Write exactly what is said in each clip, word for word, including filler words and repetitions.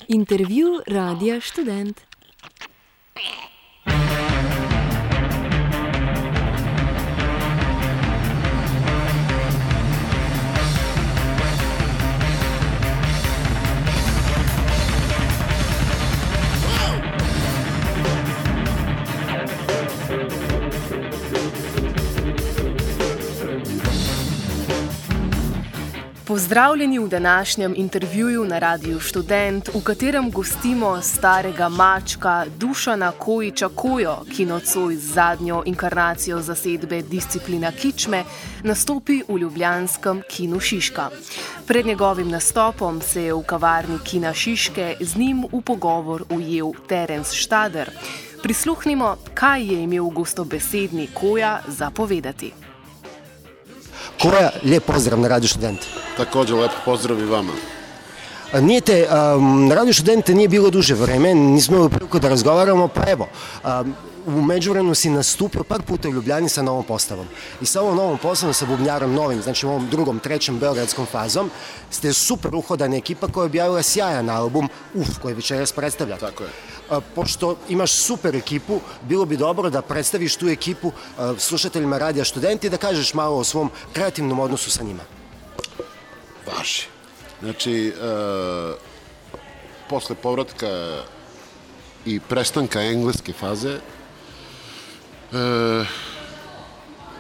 Intervju Radia Študent. Pozdravljeni v današnjem intervjuju na Radiu Študent, v katerem gostimo starega mačka Dušana Kojića Kojo, ki nocoj z zadnjo inkarnacijo zasedbe Disciplina Kičme nastopi v ljubljanskem Kinu Šiška. Pred njegovim nastopom se je v kavarni Kina Šiške z njim v pogovor ujel Terence Štader. Prisluhnimo, kaj je imel gostobesedni Koja za povedati. Koja, lijep pozdrav na Radio Študent. Također, lep pozdrav i vama. Nijete, um, na Radio Študente nije bilo duže vreme, nismo imali priliku da razgovaramo, pa evo, um, u međuvremenu si nastupio par puta u Ljubljani sa novom postavom. I sa ovom novom postavom, sa bubnjarom novim, znači ovom drugom, trećem beogradskom fazom, ste super uhodana ekipa koja je objavila sjajan album, uf, koji večeras predstavlja. Tako je. A, pošto imaš super ekipu, bilo bi dobro da predstaviš tu ekipu a, slušateljima Radija Študenti i da kažeš malo o svom kreativnom odnosu sa njima. Važi. Znači, e, posle povratka i prestanka engleske faze, E,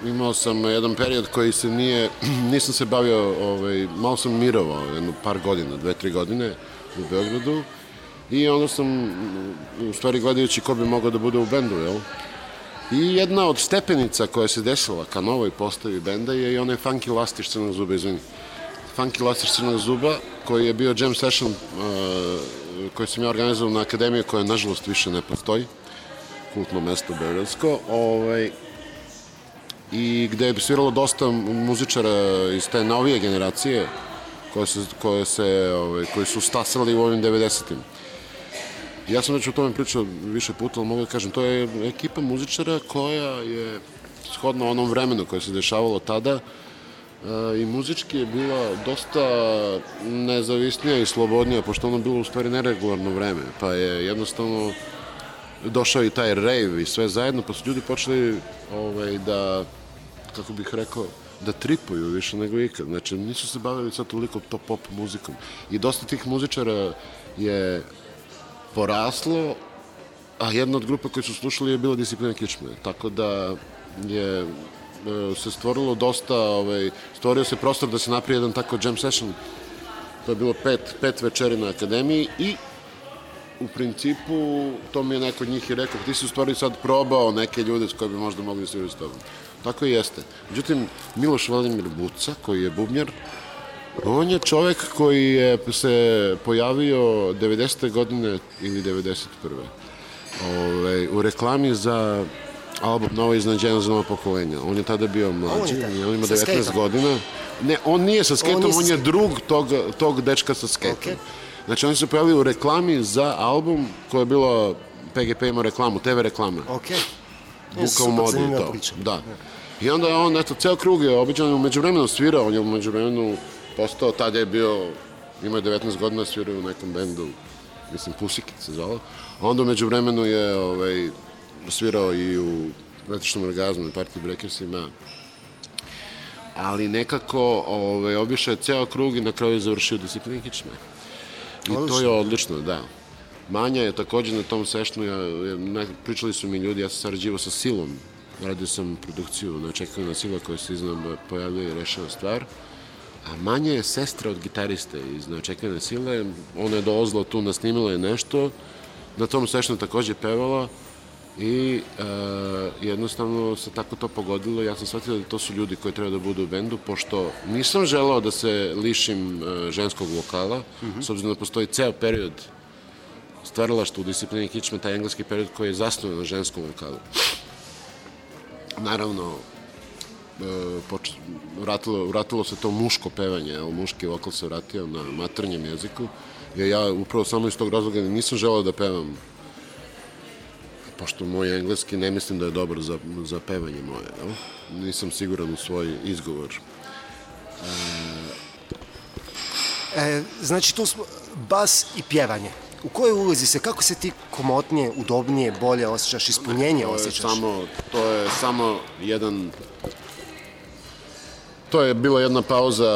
imao sam jedan period koji se nije, nisam se bavio, ovaj, malo sam mirovao jedno par godina, dve, tri godine u Beogradu i onda sam, u stvari gledajući ko bi mogao da bude u bendu, jel? I jedna od stepenica koja se desila ka novoj postavi benda je i onaj Funky Lastiš Crnog zuba, izvini. Funky Lastiš Crnog zuba, koji je bio jam session, uh, koji sam ja organizovao na akademiji, koja nažalost više ne postoji, kultno mesto beogradsko, ovaj, i gde je sviralo dosta muzičara iz te novije generacije koje, se, koje, se, ovaj, koji su stasali u ovim devedesetim. Ja sam već o tome pričao više puta, ali mogu da kažem, to je ekipa muzičara koja je shodno onom vremenu koje se dešavalo tada i muzički je bila dosta nezavisnija i slobodnija, pošto ono bilo u stvari neregularno vreme, pa je jednostavno došao i taj rave i sve zajedno, pa su ljudi počeli ovaj, da, kako bih rekao, da tripuju više nego ikad. Znači, nisu se bavili sad toliko to pop muzikom. I dosta tih muzičara je poraslo, a jedna od grupa koji su slušali je bila Disciplina Kičme. Tako da je se stvorilo dosta, ovaj, stvorio se prostor da se napravi jedan tako jam session. To je bilo pet, pet večeri na akademiji i u principu, to mi je neko od njih i rekao, ti si u stvari sad probao neke ljude s koje bi možda mogli da svirati s tobom. Tako i jeste. Međutim, Miloš Vladimir Buca, koji je bubnjar, on je čovek koji je se pojavio devedesete godine ili devedeset prve Ove, u reklami za album Novo iznenađenje za novo pokolenje. On je tada bio mlađi, on, on ima devetnaest godina. Ne, on nije sa skejtom, on, on je drug tog, tog dečka sa skejtom. Okay. Znači, oni su pojavili u reklami za album koja je bila, P G P imao reklamu, te ve reklame. Ok. Buka u modi i to. Da. I onda on, eto, ceo krug je običan, u međuvremenu svirao, on je u međuvremenu postao, tada je bio, imao je devetnaest godina, svirao u nekom bendu, mislim, Pussycat se zvalo. A onda u međuvremenu je ovaj, svirao i u Električnom orgazmu i Party Breakersima. Ali nekako ovaj, obišao je ceo krug i na kraju je završio Disciplina Kičme. I to je odlično, da. Manja je također na tom sešnu, ja, ja, pričali su mi ljudi, ja sam sarađivao sa Silom, radio sam produkciju Neočekivana sila koja se iznad pojavljuje i rešava stvar, a Manja je sestra od gitariste iz Neočekivane sile, ona je dolazila tu, nasnimila je nešto, na tom sešnu također pevala i e, jednostavno se tako to pogodilo. Ja sam shvatila da to su ljudi koji treba da budu u bendu, pošto nisam želeo da se lišim e, ženskog vokala, mm-hmm. s obzirom da postoji ceo period stvaralaštva u Disciplini Kičme, taj engleski period koji je zasnovan na ženskom vokalu. Naravno, e, poč, vratilo, vratilo se to muško pevanje, ali muški vokal se vratio na maternjem jeziku, jer ja upravo samo iz tog razloga nisam želeo da pevam pošto moj engleski ne mislim da je dobar za, za pevanje moje, jel? Nisam siguran u svoj izgovor. E, e, znači, tu smo bas i pjevanje. U kojoj ulozi se, kako se ti komotnije, udobnije, bolje osjećaš, ispunjenje to osjećaš? Je samo, to je samo jedan... To je bila jedna pauza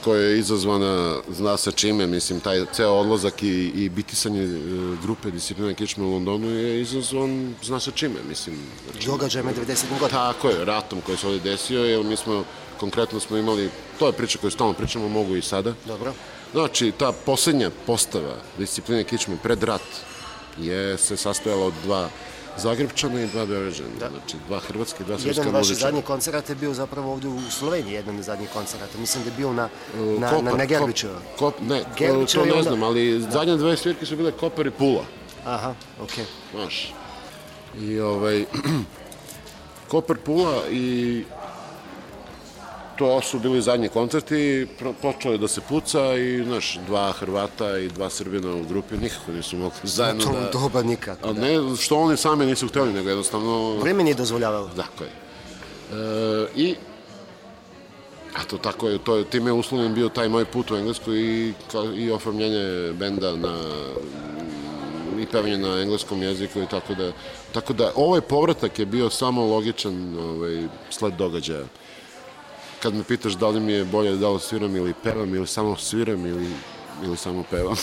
koja je izazvana, zna se čime, mislim, taj ceo odlazak i, i bitisanje grupe Disciplina kičme u Londonu je izazvan, zna se čime, mislim. Znači, događajme devedesetih godina. Tako je, ratom koji se ovdje desio, jer mi smo, konkretno smo imali, to je priča koju stalno pričamo, mogu i sada. Dobro. Znači, ta posljednja postava Discipline kičme pred rat je se sastojala od dva Zagrebčana i dva Beograđana, znači dva hrvatske i dva srpska muzičara. Jedan od vaših zadnjih koncerata je bio zapravo ovdje u Sloveniji, jedan od zadnjih koncerata. Mislim da je bio na, na, Kopar, na, na Gerbićeva. Kop, ne, Gerbićeva to ne onda... znam, ali da. Zadnje dve svirke su bile Kopar i Pula. Aha, okej. Okay. Znaš, i ovaj, Kopar, Pula i to su bili zadnji koncerti, počelo je da se puca i, znaš, dva Hrvata i dva Srbina u grupi nikako nisu mogli zajedno da... To doba nikako. A ne, što oni sami nisu htjeli, nego jednostavno... Vreme nije dozvoljavalo. Tako je. E, I... A to tako je, to je, time je uslovljen bio taj moj put u Englesku i, i oformljenje benda na... i pevanje na engleskom jeziku i tako da... Tako da, ovaj povratak je bio samo logičan ovaj, sled događaja. Kad me pitaš da li mi je bolje da li sviram ili pevam ili samo sviram ili, ili samo pevam.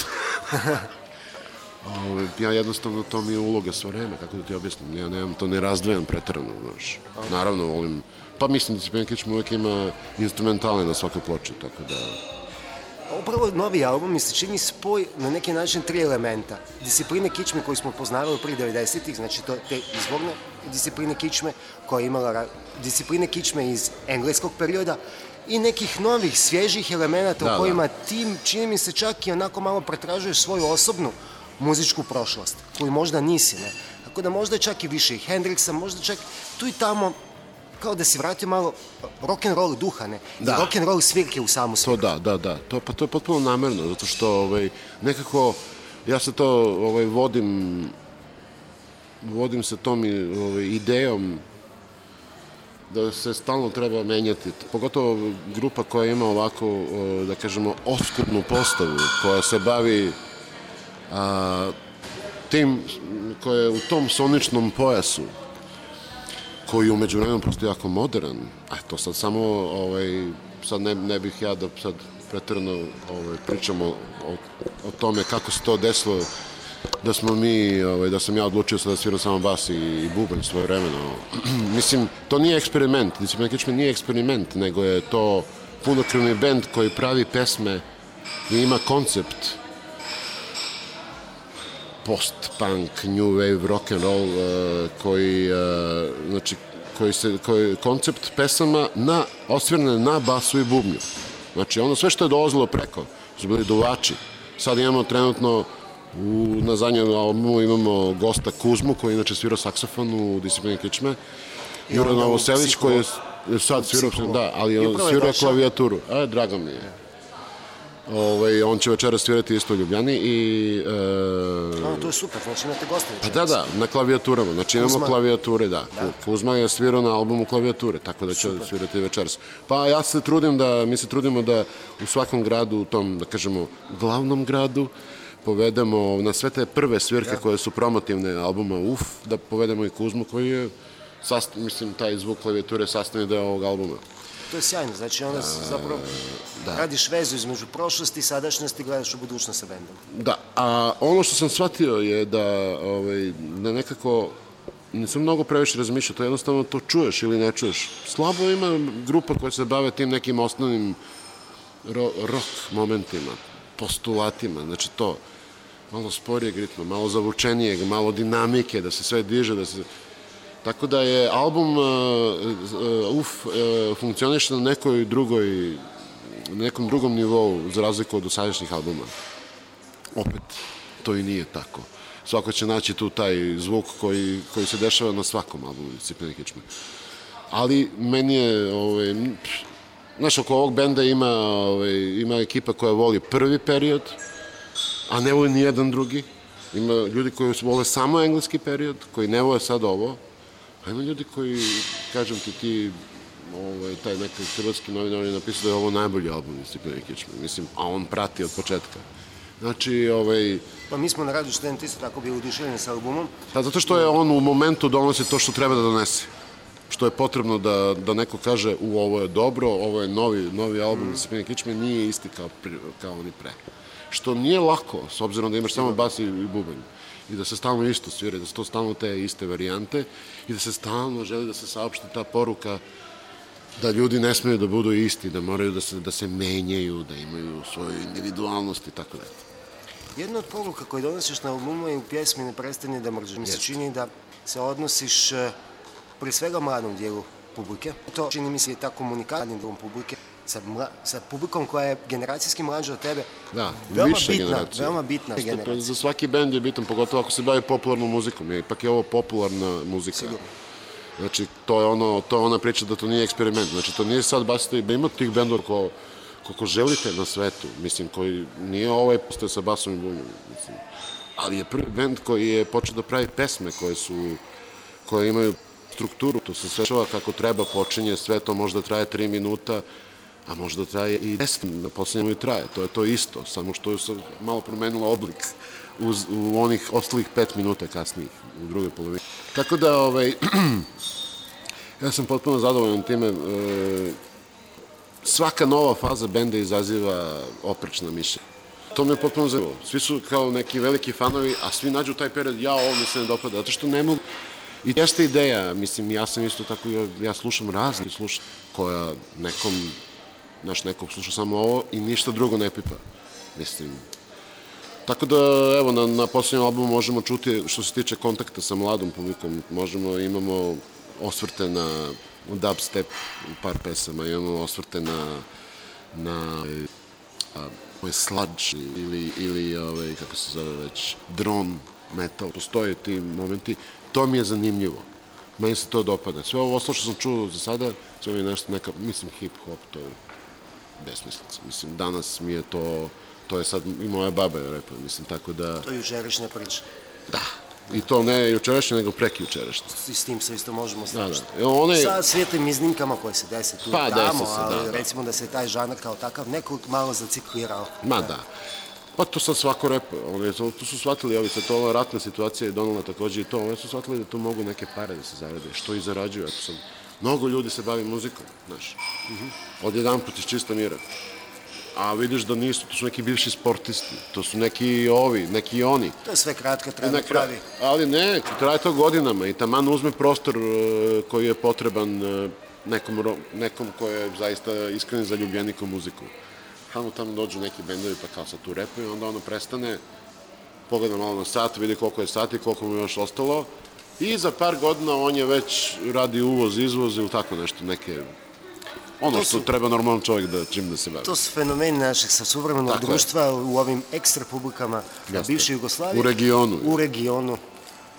Ja jednostavno, to mi je uloga svo vreme, kako da ti objasnim. Ja nemam to ne razdvajam preterano, znaš. Naravno, volim, pa mislim da Disciplina kičme uvijek ima instrumentale na svakoj ploči, tako da... Upravo novi album mi se čini spoj na neki način tri elementa. Discipline kičme koju smo poznavali prije devedesetih, znači to, te izvorne discipline kičme koja je imala discipline kičme iz engleskog perioda i nekih novih, svježih elemenata da, u kojima da. Ti, čini mi se, čak i onako malo pretražuješ svoju osobnu muzičku prošlost, koju možda nisi, ne? Tako da možda čak i više i Hendrixa, možda čak tu i tamo kao da si vratio malo rock'n'roll duha, ne? Da. I rock'n'roll svirke u samu svirku. To da, da, da. To, pa to je potpuno namerno, zato što ovaj, nekako ja se to ovaj, vodim vodim se tom ovaj, idejom da se stalno treba menjati. Pogotovo grupa koja ima ovako, da kažemo, oskudnu postavu, koja se bavi a, tim, koja je u tom soničnom pojasu, koji je umeđu vremenom prosto jako modern. A to sad samo, ovaj, sad ne, ne bih ja da sad pretjerano ovaj, pričamo o, o tome kako se to desilo, da smo mi, ovaj, da sam ja odlučio sad da sviram samo bas i, i bubanj svoje vremeno. Mislim, to nije eksperiment, Disciplina kičme nije eksperiment, nego je to punokrvni bend koji pravi pesme i ima koncept post-punk, new wave, rock and roll, uh, koji, uh, znači, koji se, koji koncept pesama na, osvirane na basu i bubnju. Znači, ono sve što je dolazilo preko, su bili duvači. Sad imamo trenutno, u, na zadnjem albumu imamo gosta Kuzmu, koji inače svirao saksofon u Disciplini kičme. Jura Novoselić, koji je sad svirao, da, ali on svirao klavijaturu. A, drago mi je. Ovaj, on će večera svirati isto u Ljubljani i... E... No, to je super, znači imate goste večeras. Pa da, da, na klavijaturama, znači imamo klavijature, da. da. Kuzma je svirao na albumu klavijature, tako da će super. Svirati večeras. Pa ja se trudim da, mi se trudimo da u svakom gradu, u tom, da kažemo, glavnom gradu, povedemo na sve te prve svirke da. Koje su promotivne albuma U F, da povedemo i Kuzmu koji je, sast, mislim, taj zvuk klavijature sastavni deo ovog albuma. To je sjajno, znači onda zapravo da. Radiš vezu između prošlosti i sadašnjosti i gledaš u budućnost sa bendom. Da, a ono što sam shvatio je da, ovaj, da nekako nisam mnogo previše razmišljao, to jednostavno to čuješ ili ne čuješ. Slabo ima grupa koja se bave tim nekim osnovnim ro, rock momentima, postulatima, znači to malo sporijeg ritma, malo zavučenijeg, malo dinamike, da se sve diže, da se... Tako da je album uh, uh, U F uh, funkcioniše na nekoj drugoj, na nekom drugom nivou, za razliku od dosadašnjih albuma. Opet, to i nije tako. Svako će naći tu taj zvuk koji, koji se dešava na svakom albumu Discipline kičme. Ali meni je, ovaj, znaš, oko ovog benda ima, ovaj, ima ekipa koja voli prvi period, a ne voli ni jedan drugi. Ima ljudi koji vole samo engleski period, koji ne vole sad ovo, a ima ljudi koji, kažem ti, ti, ovaj, taj neki hrvatski novinar je napisao da je ovo najbolji album Discipline Kičme, mislim, a on prati od početka. Znači, ovaj... Pa mi smo na Radiju Student isto tako bili uduševljeni sa albumom. Pa zato što je on u momentu donosi to što treba da donese. Što je potrebno da, da neko kaže u ovo je dobro, ovo je novi, novi album Discipline Kičme, nije isti kao, kao oni pre. Što nije lako, s obzirom da imaš samo bas i, i bubanj. I da se stalno isto svira, da su to stalno te iste varijante i da se stalno želi da se saopšti ta poruka da ljudi ne smeju da budu isti, da moraju da se, da se menjaju, da imaju svoju individualnost i tako dalje. Jedna od poruka koje donosiš na albumu je u pjesmi Ne prestani da mrziš. Mi se čini da se odnosiš prije svega mladom dijelu publike. To čini mi se je ta komunikacija dilom publike sa, mla, sa publikom koja je generacijski mlađa od tebe. Da, veoma više bitna, generacija. Veoma bitna generacija. Za svaki bend je bitan, pogotovo ako se bavi popularnom muzikom. Ipak je ovo popularna muzika. Sigurno. Znači, to je, ono, to je ona priča da to nije eksperiment. Znači, to nije sad basite, da ima tih bendova ko, koliko želite na svetu, mislim, koji nije ovaj postoje sa basom i bunjom, mislim. Ali je prvi bend koji je počeo da pravi pesme koje su, koje imaju strukturu, to se svečava kako treba, počinje, sve to možda traje tri minuta, a možda traje i deset, na poslednjemu i traje, to je to isto, samo što je malo promenilo oblik uz, u onih ostalih pet minuta kasnijih, u drugoj polovini. Tako da, ovaj, ja sam potpuno zadovoljan time, e, svaka nova faza benda izaziva oprečna mišljenja. To me je potpuno zanimljivo. Svi su kao neki veliki fanovi, a svi nađu taj period, ja ovo mi se ne dopada, zato što ne mogu. I jeste ideja, mislim, ja sam isto tako, ja, ja slušam razni slušam, koja nekom, znaš, nekog sluša samo ovo i ništa drugo ne pipa. Mislim, tako da, evo, na, na posljednjem albumu možemo čuti, što se tiče kontakta sa mladom publikom, možemo, imamo osvrte na dubstep u par pesama, imamo osvrte na, na a, sludge ili, ili ovaj, kako se zove već, drone metal. Postoje ti momenti, to mi je zanimljivo. Meni se to dopada. Sve ovo što sam čuo za sada, sve mi je nešto neka, mislim, hip-hop, to je besmislica. Mislim, danas mi je to, to je sad i moja baba je repa, mislim, tako da... To je jučerašnja priča. Da. I to ne jučerašnje, nego preki jučerašnje. I s tim se isto možemo složiti. Da, da. One... Sa svijetlim iznimkama koje se dese tu pa, i tamo, se, ali da, da. recimo da se taj žanar kao takav neko malo zaciklirao. Ma da. Pa to sad svako repa. Oni to su shvatili, ovi sad to ova ratna situacija je donala takođe i to. Oni su shvatili da tu mogu neke pare da se zarade. Što i zarađuju. Eto sam, mnogo ljudi se bavi muzikom, znaš. Od jedan put iz čista mira. A vidiš da nisu, to su neki bivši sportisti, to su neki ovi, neki oni. To je sve kratka, treba pravi. Ali ne, traje to godinama i taman uzme prostor uh, koji je potreban uh, nekom, nekom ko je zaista iskren zaljubljenik u muziku. Tamo tamo dođu neki bendovi pa kao sad tu repuju, onda ono prestane, pogleda malo na sat, vidi koliko je sati, koliko mu je još ostalo i za par godina on je već radi uvoz, izvoz ili tako nešto, neke... Ono što treba normalan čovjek da čim da se bavi. To su fenomeni našeg savremenog društva u ovim ekstra publikama bivše Jugoslavije. U regionu. U regionu.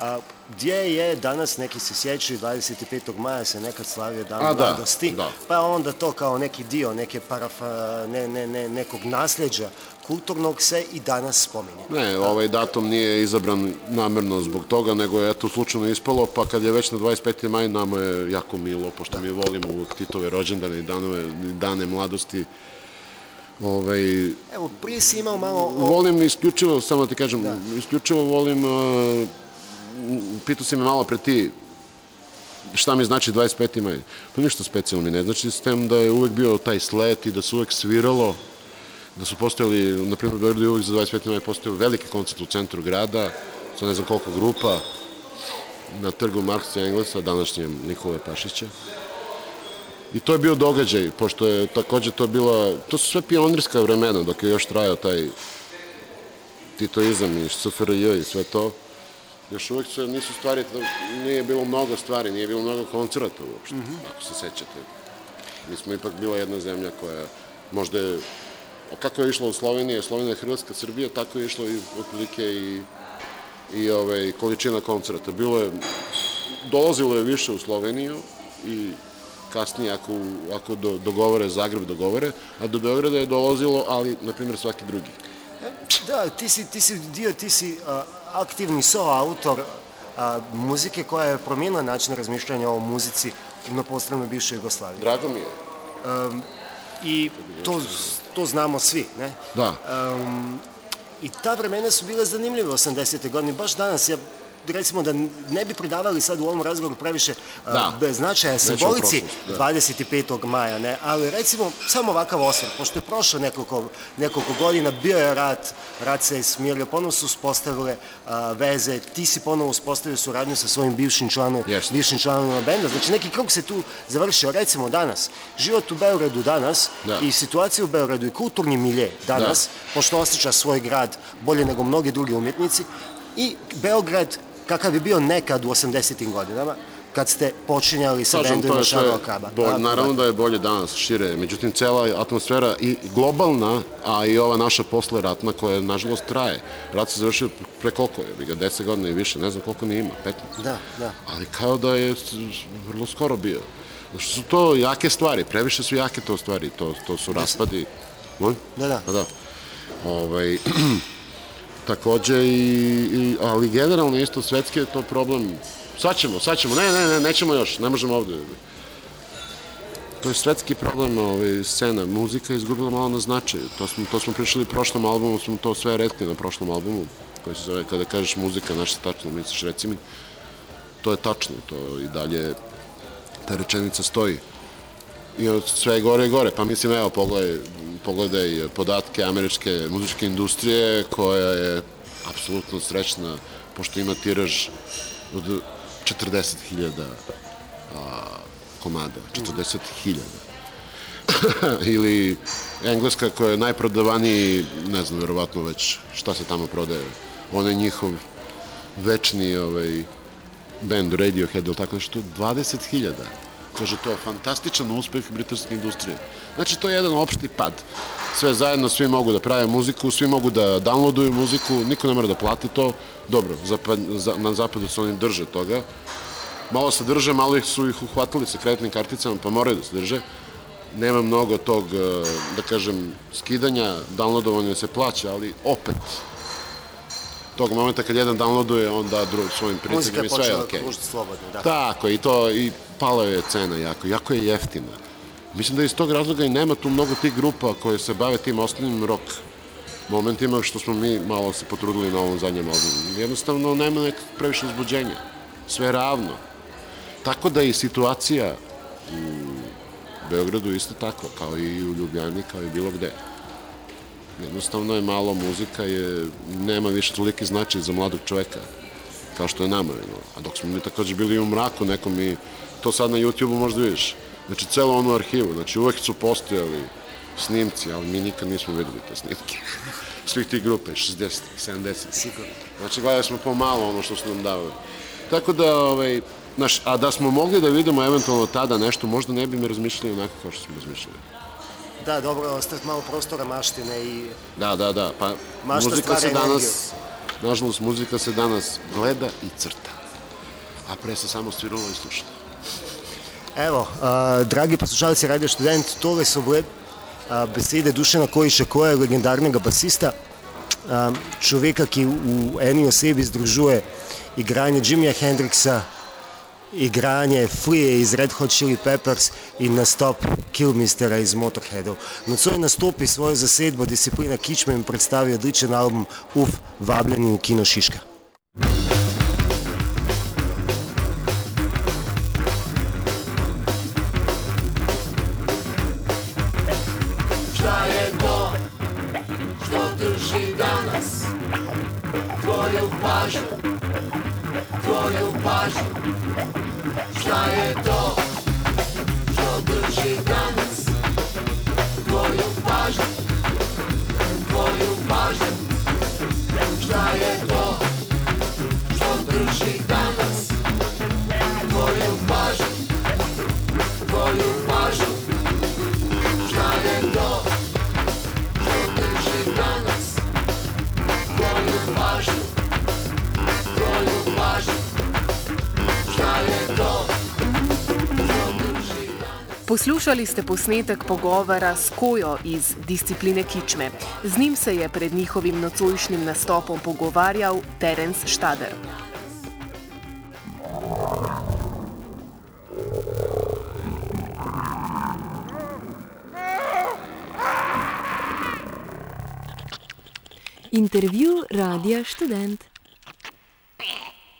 A, gdje je danas, neki se sjećaju, dvadeset petog maja se nekad slavio dan mladosti, da, da. Pa onda to kao neki dio neke parafa, ne, ne, ne, nekog nasljeđa kulturnog se i danas spominje. Ne, ovaj datum nije izabran namerno zbog toga, nego je eto slučajno ispalo, pa kad je već na dvadeset peti maj nama je jako milo, pošto da. Mi volimo uvijek Titove rođendane i danove, dane mladosti. Ovaj, Evo, prije si imao malo... O... Volim isključivo, samo da ti kažem, da. isključivo volim... Uh, pitao si me malo pre ti šta mi znači dvadeset peti maj. To ništa specijalno mi ne znači, s tem da je uvek bio taj slet i da se uvek sviralo, da su postojali, na primjer, u Beogradu je uvek za dvadeset peti maj postojao veliki koncert u centru grada, sa ne znam koliko grupa, na trgu Marksa i Englesa, današnjem Nikole Pašića. I to je bio događaj, pošto je takođe to bila, to su sve pionirska vremena, dok je još trajao taj titoizam i S F R J i sve to. Još uvijek se nisu stvari, nije bilo mnogo stvari, nije bilo mnogo koncerata uopšte, mm -hmm. ako se sećate. Mi smo ipak bila jedna zemlja koja možda je, kako je išlo u Sloveniji, Slovenija, Hrvatska, Srbija, tako je išlo i otprilike i, i ove, količina koncerata. Bilo je, dolazilo je više u Sloveniju i kasnije ako, ako do, dogovore, Zagreb dogovore, a do Beograda je dolazilo, ali, na primjer, svaki drugi. Da, ti si, ti si dio, ti si a, aktivni soautor a, muzike koja je promijenila način razmišljanja o muzici na prostoru bivše Jugoslavije. Drago mi je. Um, I to, to znamo svi, ne? Da. Um, I ta vremena su bile zanimljive osamdesete godine. Baš danas, ja recimo da ne bi pridavali sad u ovom razgovoru previše da. uh, značaja simbolici da. dvadeset petog maja, ne? Ali recimo samo ovakav osvrt, pošto je prošlo nekoliko, nekoliko godina, bio je rat, rat se je smirio, ponovo su uspostavile uh, veze, ti si ponovo uspostavio suradnju sa svojim bivšim članom, yes. bivšim članovima benda, znači neki krug se tu završio, recimo danas, život u Beogradu danas da. I situacija u Beogradu i kulturni milje danas, da. Pošto osjeća svoj grad bolje nego mnogi drugi umjetnici, i Beograd kakav je bio nekad u osamdesetim godinama, kad ste počinjali sa bendom Šarova Kraba. Bo, naravno da je bolje danas, šire, međutim cela atmosfera i globalna, a i ova naša posleratna koja nažalost traje. Rat se završio pre koliko je, ga deset godina i više, ne znam koliko ni ima, petnaest. Da, da. Ali kao da je vrlo skoro bio. Znači su to jake stvari, previše su jake to stvari, to, to su raspadi. Moj? Da, da. A da. Ovaj... Takođe, i, i, ali generalno isto svetski je to problem. Sad ćemo, sad ćemo, ne, ne, ne, nećemo još, ne možemo ovde. To je svetski problem, ovaj, scena, muzika je izgubila malo na značaju. To smo, to smo pričali u prošlom albumu, smo to sve rekli na prošlom albumu, koji se zove, kada kažeš muzika, naša tačno misliš, reci mi, to je tačno, to i dalje, ta rečenica stoji. I od sve je gore i gore, pa mislim, evo, pogledaj, pogledaj podatke američke muzičke industrije koja je apsolutno srećna pošto ima tiraž od četrdeset hiljada komada, četrdeset hiljada. Ili Engleska koja je najprodavaniji, ne znam, verovatno već šta se tamo prodaje, on je njihov večni ovaj, band Radiohead ili tako nešto, dvadeset hiljada. Kaže, to je fantastičan uspeh britanske industrije. Znači, to je jedan opšti pad. Sve zajedno, svi mogu da prave muziku, svi mogu da downloaduju muziku, niko ne mora da plati to. Dobro, zapad, za, na zapadu se oni drže toga. Malo se drže, malo ih su ih uhvatili sa kreditnim karticama, pa moraju da se drže. Nema mnogo tog, da kažem, skidanja, downloadovanja se plaća, ali opet, tog momenta kad jedan downloaduje, on da drugim svojim prijateljima i sve je okej. Muzika je počela slobodno, da. Tako, i to, i pala je cena jako, jako je jeftina. Mislim da iz tog razloga i nema tu mnogo tih grupa koje se bave tim osnovnim rock momentima, što smo mi malo se potrudili na ovom zadnjem albumu. Jednostavno nema nekog previše uzbuđenja. Sve je ravno. Tako da i situacija u Beogradu isto tako, kao i u Ljubljani, kao i bilo gde. Jednostavno je malo muzika, je, nema više toliki značaj za mladog čoveka, kao što je nama. A dok smo mi takođe bili u mraku nekom i to sad na YouTube-u možda vidiš. Znači, celo onu arhivu, znači uvek su postojali snimci, ali mi nikad nismo videli te snimke. Svih tih grupe, šezdeset, sedamdeset. Sigurno. Znači, gledali smo pomalo ono što su nam davali. Tako da, ovaj, znaš, a da smo mogli da vidimo eventualno tada nešto, možda ne bi mi razmišljali onako kao što smo razmišljali. Da, dobro, ostaviti malo prostora maštine i... Da, da, da, pa muzika se danas, nažalost, muzika se danas gleda i crta, a pre se samo sviralo i slušalo. Evo, a, dragi poslušalci Radio Študent, tole su bile a, besede Dušana Kojića, koja je legendarnega basista, a, človeka, ki v eni osebi združuje igranje Jimija Hendrixa, igranje Flea iz Red Hot Chili Peppers in nastop Killmistera iz Motorheadov. Nocoj nastopi svojo zasedbo Disciplina Kičme in predstavi odličen album Uf, vabljeni v Kino Šiška. Šta je to što drži danas tvoju pažnju, tvoju pažnju? Šta je to što drži danas tvoju pažnju, tvoju pažnju? Šta je to što drži danas tvoju pažnju, tvoju pažnju? Šta je to što drži danas tvoju pažnju, tvoju pažnju? Šta je to Poslušali ste posnetek pogovora s Kojo iz discipline Kičme. Z njim se je pred njihovim nocojšnjim nastopom pogovarjal Terence Štader. Intervju Radia Študent.